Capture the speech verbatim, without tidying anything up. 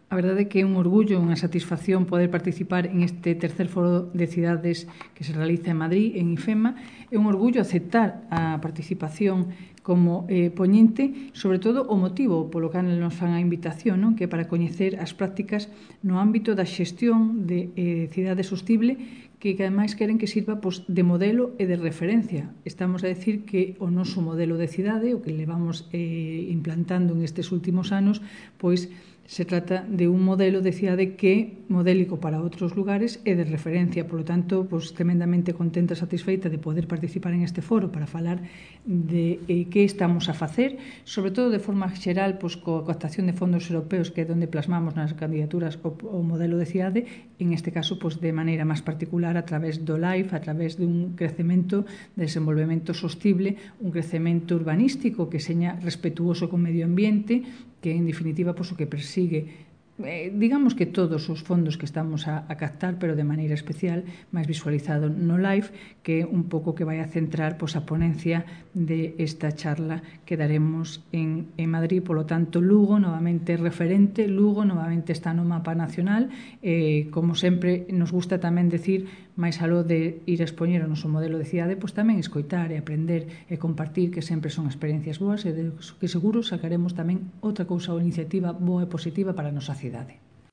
A verdade é que é un orgullo, unha satisfacción poder participar en este tercer foro de cidades que se realiza en Madrid, en IFEMA. É un orgullo aceptar a participación como eh, poñente, sobre todo o motivo polo que nos fan a invitación, non? Que é para coñecer as prácticas no ámbito da xestión de eh, cidade sostible, que, que ademais queren que sirva pois, de modelo e de referencia. Estamos a decir que o noso modelo de cidade, o que levamos eh, implantando en estes últimos anos, pois se trata de un modelo de cidade que é modélico para outros lugares e de referencia. Por lo tanto, pues, tremendamente contenta e satisfeita de poder participar en este foro para falar de eh, que estamos a facer, sobre todo de forma xeral, pues, coa captación de fondos europeos, que é onde plasmamos nas candidaturas o, o modelo de cidade, en este caso, pues, de maneira máis particular a través do LIFE, a través dun crecemento, de desenvolvemento sostible, un crecemento urbanístico que seña respetuoso co medio ambiente, que en definitiva pues, o que persigue eh, digamos que todos os fondos que estamos a, a captar, pero de maneira especial, máis visualizado no LIFE, que é un pouco que vai a centrar pues, a ponencia de esta charla que daremos en, en Madrid. Por lo tanto, Lugo novamente referente, Lugo novamente está no mapa nacional, eh, como sempre nos gusta tamén decir, máis aló de ir a expoñer o noso modelo de cidade, pois tamén escoitar e aprender e compartir, que sempre son experiencias boas e de que seguro sacaremos tamén outra cousa ou iniciativa boa e positiva para a nosa cidade.